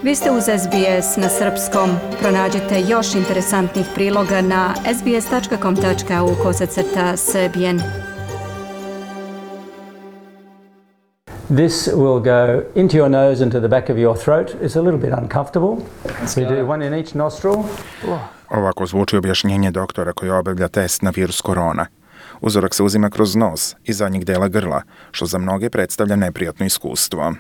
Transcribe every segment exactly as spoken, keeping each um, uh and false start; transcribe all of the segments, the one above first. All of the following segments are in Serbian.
Vi ste uz S B S na srpskom. Pronađite još interesantnih priloga na sbs.com.au kosacrta srbijen. This will go into your nose and to the back of your throat. It's a little bit uncomfortable. We do one in each nostril. Ovako zvuči objašnjenje doktora koji obavlja test na virus korona. Uzorak se uzima kroz nos i zadnjeg dela grla, što za mnoge predstavlja neprijatno iskustvo.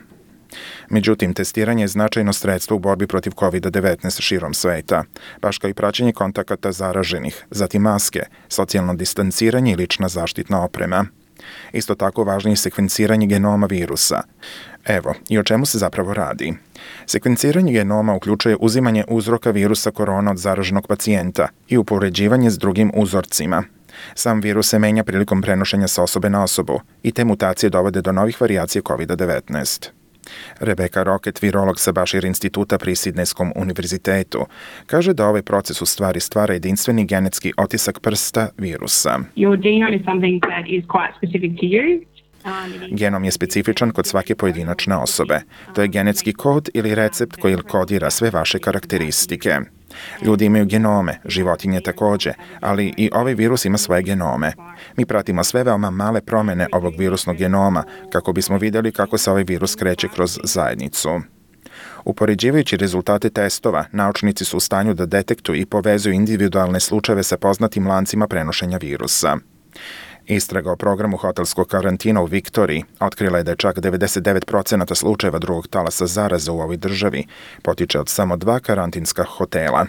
Međutim, testiranje je značajno sredstvo u borbi protiv kovid devetnaest širom sveta, baš kao i praćenje kontakata zaraženih, zatim maske, socijalno distanciranje i lična zaštitna oprema. Isto tako važno je sekvenciranje genoma virusa. Evo, i o čemu se zapravo radi. Sekvenciranje genoma uključuje uzimanje uzroka virusa korona od zaraženog pacijenta i upoređivanje s drugim uzorcima. Sam virus se menja prilikom prenošenja sa osobe na osobu i te mutacije dovode do novih varijacija kovid devetnaest. Rebecca Rocket, virolog sa Bashir instituta pri Sidnejskom univerzitetu, kaže da ovaj proces u stvari stvara jedinstveni genetski otisak prsta virusa. Genom je specifičan kod svake pojedinačne osobe. To je genetski kod ili recept koji kodira sve vaše karakteristike. Ljudi imaju genome, životinje takođe, ali i ovaj virus ima svoje genome. Mi pratimo sve veoma male promene ovog virusnog genoma kako bismo vidjeli kako se ovaj virus kreće kroz zajednicu. Upoređivajući rezultate testova, naučnici su u stanju da detektuju i povezuju individualne slučajeve sa poznatim lancima prenošenja virusa. Istraga o programu hotelskog karantina u Viktoriji otkrila je da je čak devedeset devet posto slučajeva drugog talasa zaraze u ovoj državi potiče od samo dva karantinska hotela.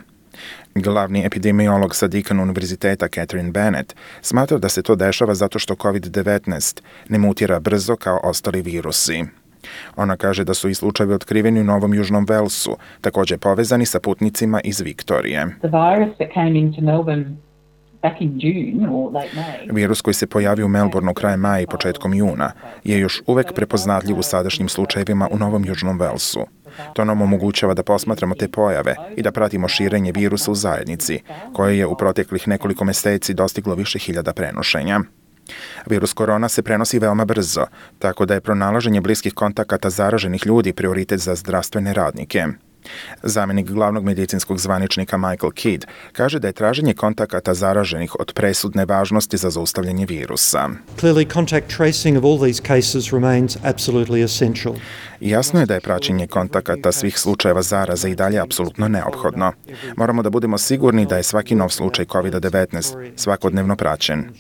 Glavni epidemiolog sa Deakin univerziteta Catherine Bennett smatra da se to dešava zato što kovid devetnaest ne mutira brzo kao ostali virusi. Ona kaže da su i slučajevi otkriveni u Novom Južnom Velsu, također povezani sa putnicima iz Viktorije. Virus koji se pojavio u Melbourneu krajem maja i početkom juna je još uvek prepoznatljiv u sadašnjim slučajevima u Novom Južnom Velsu. To nam omogućava da posmatramo te pojave i da pratimo širenje virusa u zajednici, koje je u proteklih nekoliko meseci dostiglo više hiljada prenošenja. Virus korona se prenosi veoma brzo, tako da je pronalaženje bliskih kontakata zaraženih ljudi prioritet za zdravstvene radnike. Zamenik glavnog medicinskog zvaničnika Michael Kidd kaže da je traženje kontakata zaraženih od presudne važnosti za zaustavljanje virusa. Clearly, contact tracing of all these cases remains absolutely essential. Jasno je da je praćenje kontakata svih slučajeva zaraze i dalje apsolutno neophodno. Moramo da budemo sigurni da je svaki nov slučaj kovid devetnaest svakodnevno praćen.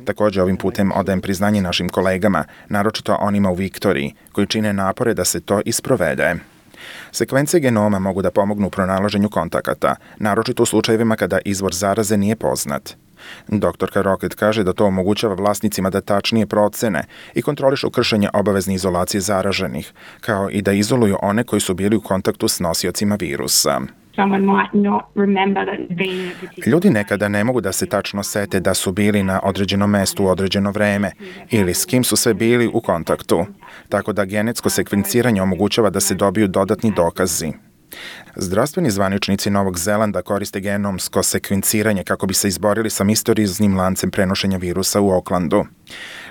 Također ovim putem odajem priznanje našim kolegama, naročito onima u Viktoriji, koji čine napore da se to isprovede. Sekvence genoma mogu da pomognu u pronalaženju kontakata, naročito u slučajevima kada izvor zaraze nije poznat. Doktorka Rocket kaže da to omogućava vlasnicima da tačnije procene i kontrolišu kršenje obavezne izolacije zaraženih, kao i da izoluju one koji su bili u kontaktu s nosiocima virusa. Ljudi nekada ne mogu da se tačno sete da su bili na određenom mestu u određeno vreme ili s kim su sve bili u kontaktu, tako da genetsko sekvenciranje omogućava da se dobiju dodatni dokazi. Zdravstveni zvaničnici Novog Zelanda koriste genomsko sekvenciranje kako bi se izborili sa misterioznim lancem prenošenja virusa u Aucklandu.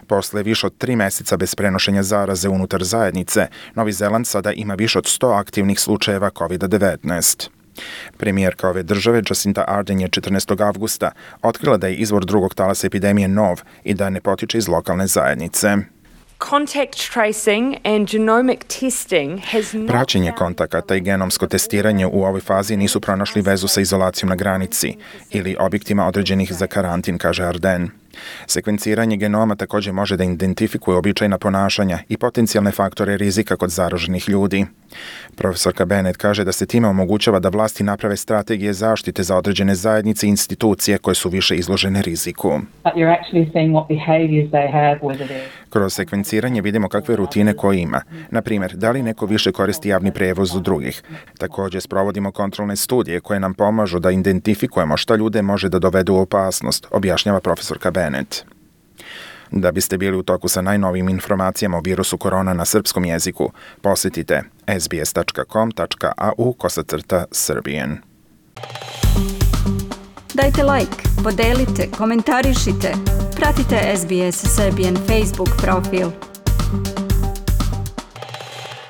Posle više od tri meseca bez prenošenja zaraze unutar zajednice, Novi Zeland sada ima više od sto aktivnih slučajeva kovid devetnaest. Premijerka ove države, Jacinda Ardern, je četrnaestog avgusta otkrila da je izvor drugog talasa epidemije nov i da ne potiče iz lokalne zajednice. Contact tracing and genomic testing has not... Praćenje kontakata i genomsko testiranje u ovoj fazi nisu pronašli vezu sa izolacijom na granici ili objektima određenih za karantin, kaže Ardern. Sekvenciranje genoma također može da identifikuje običajna ponašanja i potencijalne faktore rizika kod zaraženih ljudi. Profesorka Bennett kaže da se time omogućava da vlasti naprave strategije zaštite za određene zajednice i institucije koje su više izložene riziku. Kroz sekvenciranje vidimo kakve rutine ko ima. Na primjer, da li neko više koristi javni prevoz od drugih. Također sprovodimo kontrolne studije koje nam pomažu da identifikujemo šta ljude može da dovede u opasnost, objašnjava profesorka Bennett. Da biste bili u toku sa najnovijim informacijama o virusu korona na srpskom jeziku, posjetite sbs.com.au kosacrta srbijen. Dajte like, podelite, komentarišite, pratite S B S Serbian Facebook profil.